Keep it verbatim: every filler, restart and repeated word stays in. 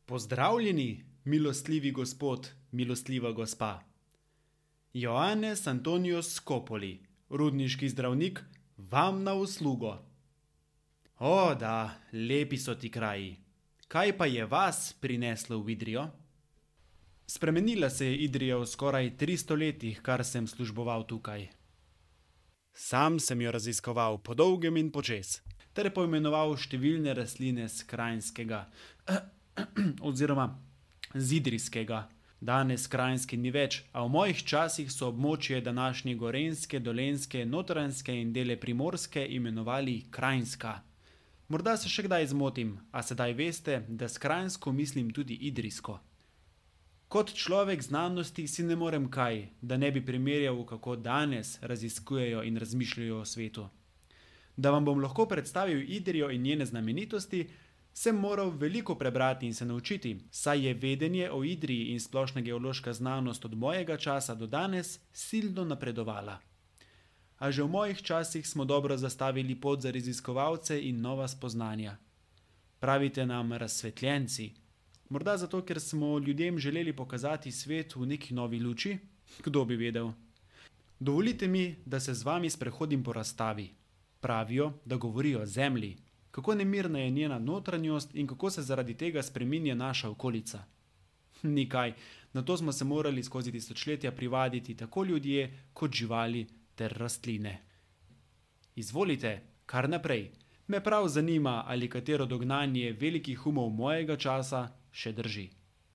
Pozdravljeni, milostljivi gospod, milostljiva gospa. Joannes Antonius Scopoli, rudniški zdravnik, vam na uslugo. O, da, lepi so ti kraji. Kaj pa je vas prineslo v Idrijo? Spremenila se je Idrija v skoraj tristo letih, kar sem služboval tukaj. Sam sem jo raziskoval po dolgem in počez, ter poimenoval številne rastline s Kranjskega, oziroma z Idrijskega. Danes Kranjske ni več, a v mojih časih so območje današnje Gorenjske, Dolenjske, Notranjske in dele Primorske imenovali Kranjska. Morda se še kdaj zmotim, a sedaj veste, da s Kranjsko mislim tudi Idrijsko. Kot človek znanosti si ne morem kaj, da ne bi primerjal, kako danes raziskujejo in razmišljajo o svetu. Da vam bom lahko predstavil Idrijo in njene znamenitosti, sem moral veliko prebrati in se naučiti, saj je vedenje o Idriji in splošna geološka znanost od mojega časa do danes silno napredovala. A že v mojih časih smo dobro zastavili pot za raziskovalce in nova spoznanja. Pravite nam razsvetljenci. Morda zato, ker smo ljudem želeli pokazati svet v neki novi luči? Kdo bi vedel? Dovolite mi, da se z vami sprehodim po razstavi. Pravijo, da govorijo o Zemlji. Kako nemirna je njena notranjost in kako se zaradi tega spreminja naša okolica. Nikaj, na to smo se morali skozi tisočletja privaditi tako ljudje kot živali ter rastline. Izvolite, kar naprej. Me prav zanima, ali katero dognanje velikih umov mojega časa še drži.